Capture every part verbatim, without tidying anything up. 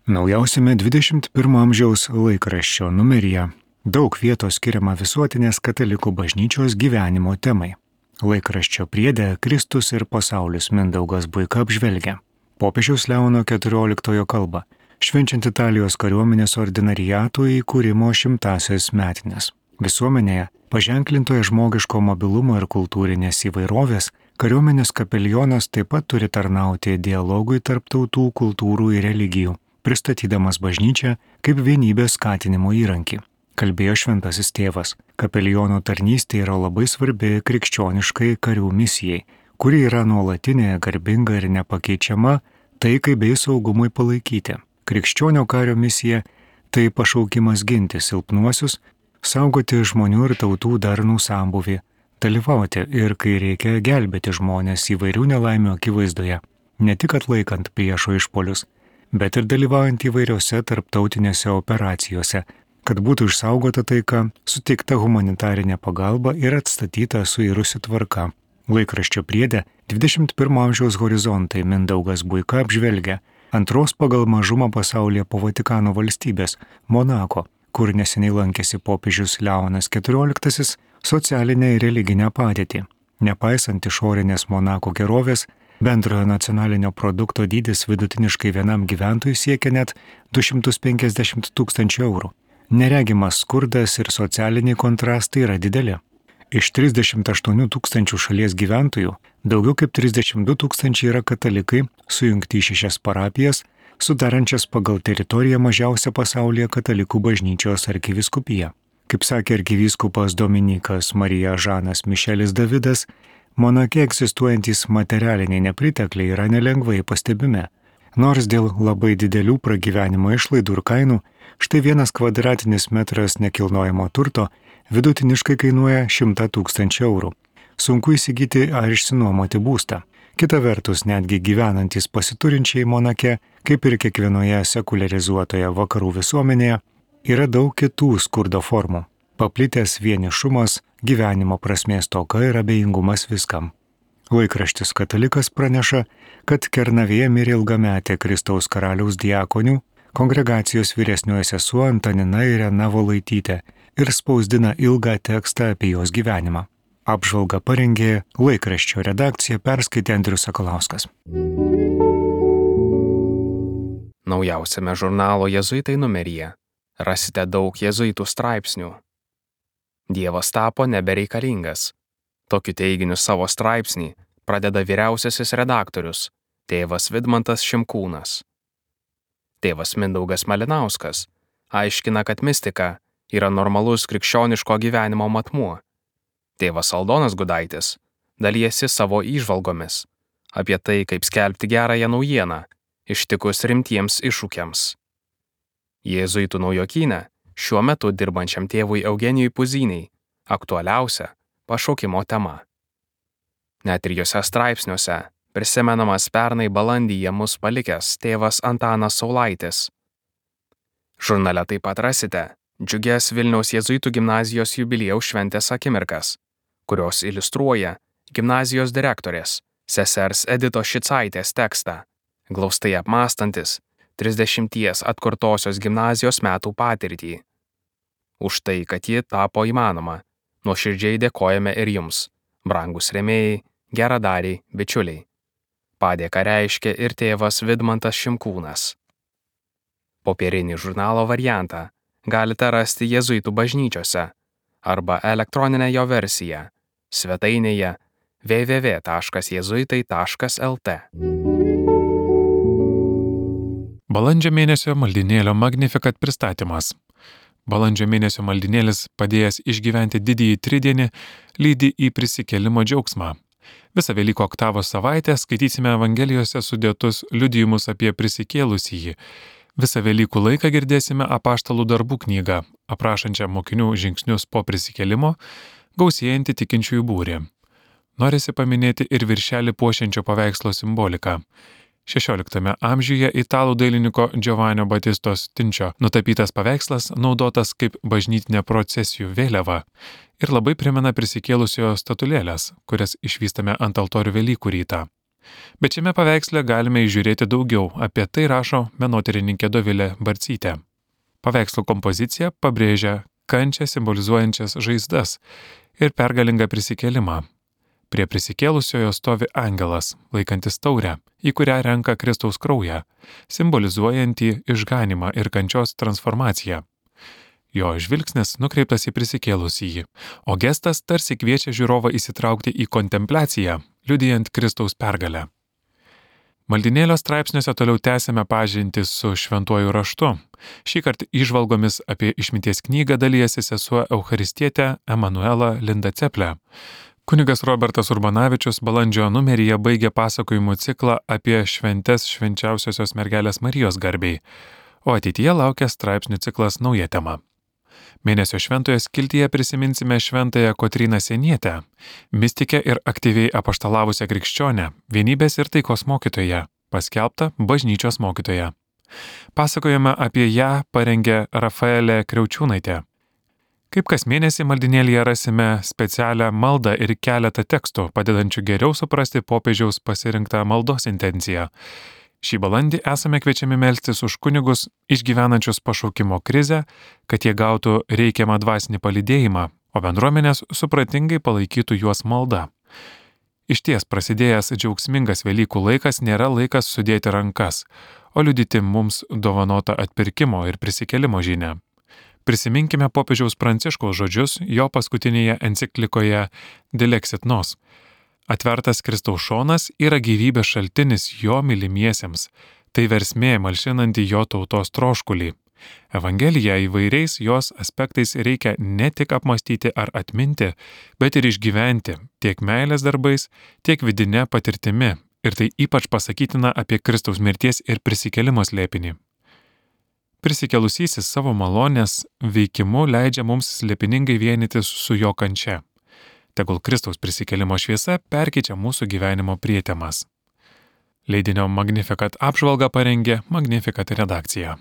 Naujausiame dvidešimt pirmo amžiaus laikraščio numeryje daug vietos skiriama visuotinės katalikų bažnyčios gyvenimo temai. Laikraščio priede Kristus ir pasaulis Mindaugas Buika apžvelgia popiežiaus Leono keturioliktojo kalbą, švenčiant Italijos kariuomenės ordinariatų įkūrimo šimtąsias metines. Visuomenėje, paženklintoje žmogiško mobilumo ir kultūrinės įvairovės, kariuomenės kapelionas taip pat turi tarnauti dialogui tarp tautų, kultūrų ir religijų, pristatydamas bažnyčią kaip vienybės skatinimo įrankį. Kalbėjo šventasis tėvas, kapeliono tarnystė yra labai svarbi krikščioniškai karių misijai, kuri yra nuolatinė, garbinga ir nepakeičiama taikai bei saugumui palaikyti. Krikščionio kario misija – tai pašaukimas ginti silpnuosius, saugoti žmonių ir tautų darnų sambūvį, dalyvauti ir, kai reikia, gelbėti žmonės įvairių nelaimių akivaizdoje, ne tik atlaikant priešo išpolius, bet ir dalyvaujant įvairiose tarptautinėse operacijose, kad būtų išsaugota taika, suteikta humanitarinė pagalba ir atstatyta suirusi tvarka. Laikraščio priede dvidešimt pirmo amžiaus horizontai Mindaugas Buika apžvelgia antros pagal mažumą pasaulyje po Vatikano valstybės Monako, kur neseniai lankėsi popiežius Leonas keturioliktasis, socialinę ir religinę padėtį. Nepaisant išorinės Monako gerovės, bendrojo nacionalinio produkto dydis vidutiniškai vienam gyventojui siekia net du šimtus penkiasdešimt tūkstančių eurų. Neregimas skurdas ir socialiniai kontrastai yra dideli. Iš trisdešimt aštuonių tūkstančių šalies gyventojų daugiau kaip trisdešimt du tūkstančiai yra katalikai, sujungti į šešias parapijas, sudarančias pagal teritoriją mažiausią pasaulyje katalikų bažnyčios arkivyskupiją. Kaip sakė arkivyskupas Dominikas Marija Žanas Mišelis Davidas, Monake egzistuojantys materialiniai nepritekliai yra nelengvai pastebimi. Nors dėl labai didelių pragyvenimo išlaidų ir kainų, štai vienas kvadratinis metras nekilnojamo turto vidutiniškai kainuoja šimtą tūkstančių eurų. Sunku įsigyti ar išsinuomoti būstą. Kita vertus, netgi gyvenantys pasiturinčiai Monake, kaip ir kiekvienoje sekuliarizuotoje vakarų visuomenėje, yra daug kitų skurdo formų. Paplitęs vienišumas, gyvenimo prasmės stoka ir abejingumas viskam. Laikraštis Katalikas praneša, kad Kernavėje mirė ilgametė Kristaus karaliaus diakonių, kongregacijos vyresnioji sesuo Antanina Irena Volaitytė ir spausdina ilgą tekstą apie jos gyvenimą. Apžvalgą parengė laikraščio redakcija, perskaitė Andrius Sakalauskas. Naujausiame žurnalo Jėzuitai numeryje rasite daug jėzuitų straipsnių. Dievas tapo nebereikalingas. Tokiu teiginiu savo straipsnį pradeda vyriausiasis redaktorius, tėvas Vidmantas Šimkūnas. Tėvas Mindaugas Malinauskas aiškina, kad mistika yra normalus krikščioniško gyvenimo matmuo. Tėvas Aldonas Gudaitis dalijasi savo įžvalgomis apie tai, kaip skelbti gerąją naujieną ištikus rimtiems iššūkiams. Jėzuitų naujokyne šiuo metu dirbančiam tėvui Eugenijui Puzyniai aktualiausia pašaukimo tema. Net ir jose straipsniuose prisimenamas pernai balandyje mus palikęs tėvas Antanas Saulaitis. Žurnale taip pat rasite džiugias Vilniaus jėzuitų gimnazijos jubiliejaus šventės akimirkas, kurios iliustruoja gimnazijos direktorės sesers Editos Šicaitės tekstą, glaustai apmąstantis trisdešimties atkurtosios gimnazijos metų patirtį. Už tai, kad ji tapo įmanoma, nuoširdžiai dėkojame ir jums, brangus rėmėjai, geradariai, bičiuliai. Padėką reiškia ir tėvas Vidmantas Šimkūnas. Popierinį žurnalo variantą galite rasti jėzuitų bažnyčiose arba elektroninę jo versiją svetainėje w w w taškas jėzuitai taškas l t. Balandžio mėnesio maldynėlio Magnificat pristatymas. Balandžio mėnesio maldynėlis, padėjęs išgyventi didįjį tridienį, lydi į prisikėlimo džiaugsmą. Visą Velykų oktavos savaitę skaitysime Evangelijose sudėtus liudijimus apie prisikėlusįjį. Visą Velykų laiką girdėsime apaštalų darbų knygą, aprašančią mokinių žingsnius po prisikėlimo, gausėjantį tikinčiųjų būrį. Norisi paminėti ir viršelį puošiančio paveikslo simboliką. šešioliktame amžiuje italų dailininko Giovanni Battistos Tinčio nutapytas paveikslas naudotas kaip bažnytinė procesijų vėliava ir labai primena prisikėlusiojo statulėlės, kurias išvystame ant altorių Velykų rytą. Bet šiame paveiksle galime įžiūrėti daugiau, apie tai rašo menotyrininkė Dovilė Barcytė. Paveikslo kompozicija pabrėžia kančią simbolizuojančias žaizdas ir pergalingą prisikėlimą. Prie prisikėlusiojo stovi angelas, laikantis taurę, į kurią renka Kristaus kraują, simbolizuojantį išganimą ir kančios transformaciją. Jo žvilgsnis nukreiptas į prisikėlusįjį, o gestas tarsi kviečia žiūrovą įsitraukti į kontempliaciją, liudijant Kristaus pergalę. Maldynėlio straipsniuose toliau tęsime pažintį su šventuoju raštu. Šįkart įžvalgomis apie išminties knygą dalijasi sesuo eucharistietė Emanuela Linda Ceplė. Kunigas Robertas Urbanavičius balandžio numeryje baigė pasakojimų ciklą apie šventes švenčiausiosios mergelės Marijos garbei, o ateityje laukia straipsnių ciklas nauja tema. Mėnesio šventoje skiltyje prisiminsime šventąją Kotryną Sienietę, mistikę ir aktyviai apaštalavusią krikščionę, vienybės ir taikos mokytoją, paskelbtą bažnyčios mokytoją. Pasakojame apie ją parengė Rafaelė Kriaučiūnaitė. Kaip kas mėnesį maldynėlyje rasime specialią maldą ir keletą tekstų, padedančių geriau suprasti popiežiaus pasirinktą maldos intenciją. Šį balandį esame kviečiami melstis už kunigus išgyvenančius pašaukimo krizę, kad jie gautų reikiamą dvasinį palydėjimą, o bendruomenės supratingai palaikytų juos malda. Išties prasidėjęs džiaugsmingas Velykų laikas nėra laikas sudėti rankas, o liudyti mums dovanotą atpirkimo ir prisikėlimo žinią. Prisiminkime popiežiaus Pranciškaus žodžius jo paskutinėje enciklikoje Dilexit Nos. Atvertas Kristaus šonas yra gyvybės šaltinis jo mylimiesiems, tai versmė malšinanti jo tautos troškulį. Evangeliją įvairiais jos aspektais reikia ne tik apmastyti ar atminti, bet ir išgyventi tiek meilės darbais, tiek vidinė patirtimi, ir tai ypač pasakytina apie Kristaus mirties ir prisikėlimo slėpinį. Prisikėlusysis savo malonės veikimu leidžia mums slėpiningai vienytis su jo kančia. Tegul Kristaus prisikėlimo šviesa perkeičia mūsų gyvenimo prietemas. Leidinio Magnificat apžvalgą parengė Magnificat redakcija.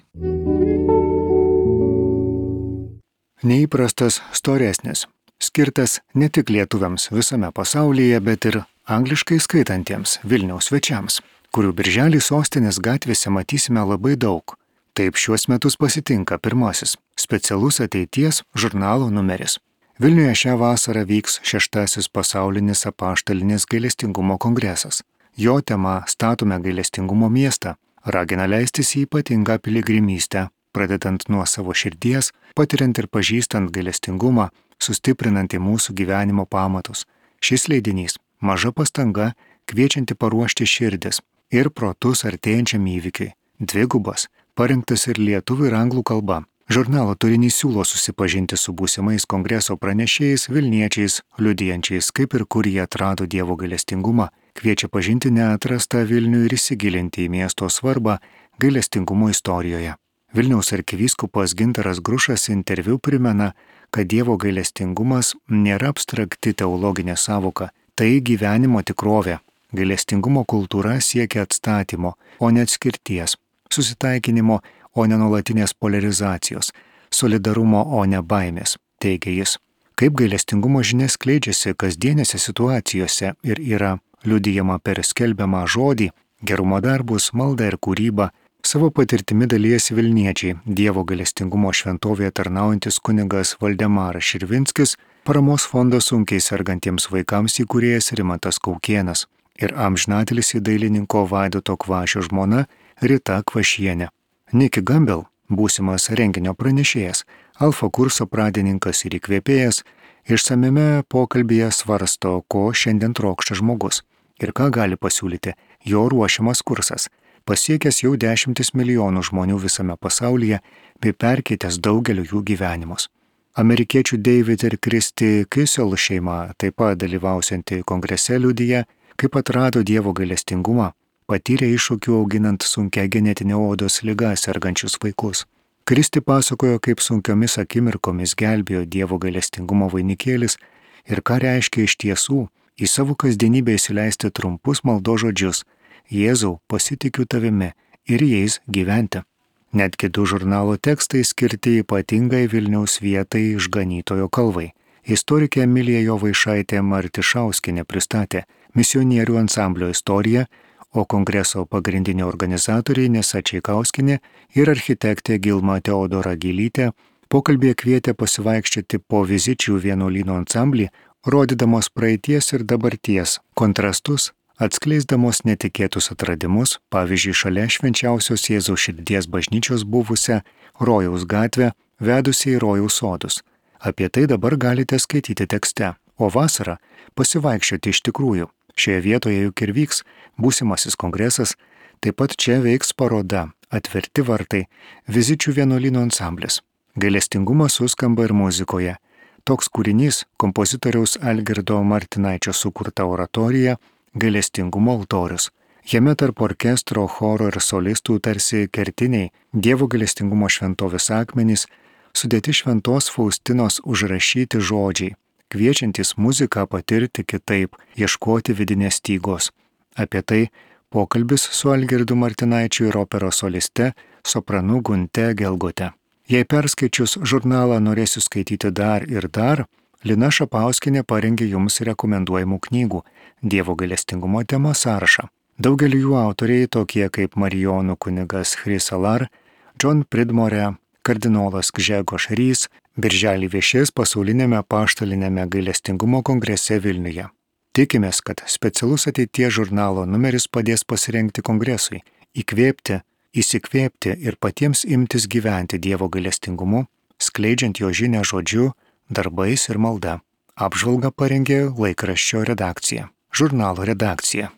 Neįprastas storesnis, skirtas ne tik lietuviams visame pasaulyje, bet ir angliškai skaitantiems Vilniaus svečiams, kurių birželį sostinės gatvėse matysime labai daug. Taip šiuos metus pasitinka pirmasis specialus ateities žurnalo numeris. Vilniuje šią vasarą vyks šeštasis pasaulinis apaštalinis gailestingumo kongresas. Jo tema Statome gailestingumo miestą ragina leistis į ypatingą piligrimystę, pradedant nuo savo širdies, patiriant ir pažįstant gailestingumą, sustiprinant į mūsų gyvenimo pamatus. Šis leidinys – maža pastanga, kviečianti paruošti širdis ir protus artėjančiam įvykiui. Dvigubas, parengtas ir lietuvių ir anglų kalba. Žurnalo turinys siūlo susipažinti su būsimais kongreso pranešėjais, vilniečiais, liudijančiais, kaip ir kur jie atrado Dievo gailestingumą, kviečia pažinti neatrastą Vilnių ir įsigilinti į miesto svarbą gailestingumo istorijoje. Vilniaus arkivyskupas Gintaras Grušas interviu primena, kad Dievo gailestingumas nėra abstrakti teologinė savoka, tai gyvenimo tikrovė. Gailestingumo kultūra siekia atstatymo, o ne atskirties, susitaikinimo, o ne nuolatinės polarizacijos, solidarumo, o ne baimės, teigia jis. Kaip gailestingumo žinia skleidžiasi kasdienėse situacijose ir yra liudijama per skelbiamą žodį, gerumo darbus, maldą ir kūrybą, savo patirtimi dalijasi vilniečiai, Dievo gailestingumo šventovėje tarnaujantis kunigas Valdemaras Širvinskis, paramos fondo sunkiai sergantiems vaikams įkūrėjas Rimantas Kaukėnas ir amžinatilsį dailininko Vaidoto Kvašio žmona Rita Kvašienė. Niki Gambel, būsimas renginio pranešėjas, alfa kurso pradininkas ir įkvėpėjas, išsamiame pokalbyje svarsto, ko šiandien trokšta žmogus ir ką gali pasiūlyti jo ruošiamas kursas, pasiekęs jau dešimtis milijonų žmonių visame pasaulyje bei perkeitęs daugeliu jų gyvenimus. Amerikiečių David ir Kristi Kissel šeima, taip pat dalyvausianti kongrese, liudija, kaip atrado Dievo gailestingumą, patyrė iššūkių auginant sunkia genetinė odos liga sergančius vaikus. Kristi pasakojo, kaip sunkiomis akimirkomis gelbėjo Dievo gailestingumo vainikėlis ir ką reiškia iš tiesų į savo kasdienybę įsileisti trumpus maldos žodžius: Jėzau, pasitikiu tavimi ir jais gyventi. Netgi du žurnalo tekstai skirti ypatingai Vilniaus vietai Išganytojo kalvai. Istorikė Emilija Jovaišaitė Martišauskienė pristatė misionierių ansamblio istorija, o kongreso pagrindinė organizatoriai Nesa Čaikauskienė ir architektė Gilma Teodora Gilytė pokalbėje kvietė pasivaikščioti po Vizičių vienuolyno ansamblį, rodydamos praeities ir dabarties kontrastus, atskleisdamos netikėtus atradimus, pavyzdžiui, šalia švenčiausios Jėzaus širdies bažnyčios buvusią Rojaus gatvę, vedusią į Rojaus sodus. Apie tai dabar galite skaityti tekste, o vasarą pasivaikščioti iš tikrųjų. Šioje vietoje juk ir vyks būsimasis kongresas, taip pat čia veiks paroda Atverti vartai, Vizičių vienuolyno ansamblis. Gailestingumas suskamba ir muzikoje. Toks kūrinys kompozitoriaus Algirdo Martinaičio sukurta oratorija Gailestingumo altorius. Jame tarp orkestro, choro ir solistų tarsi kertiniai Dievo gailestingumo šventovės akmenys, sudėti šventos Faustinos užrašyti žodžiai, kviečiantys muziką patirti kitaip, ieškoti vidinės stygos. Apie tai pokalbis su Algirdu Martinaičiu ir operos soliste, sopranu Gunte Gelgote. Jei perskaičius žurnalą norėsiu skaityti dar ir dar, Lina Šapauskienė parengė jums rekomenduojamų knygų Dievo gailestingumo tema sąrašą. Daugelį jų autoriai tokie kaip Marijonų kunigas Chrysalar, John Pridmore, kardinolas Gžegož Rys, birželį viešės pasaulinėme apaštalinėme gailestingumo kongrese Vilniuje. Tikimės, kad specialus ateities žurnalo numeris padės pasirengti kongresui, įkvėpti, įsikvėpti ir patiems imtis gyventi Dievo gailestingumu, skleidžiant jo žinią žodžiu, darbais ir malda. Apžvalgą parengė laikraščio redakcija. Žurnalo redakcija.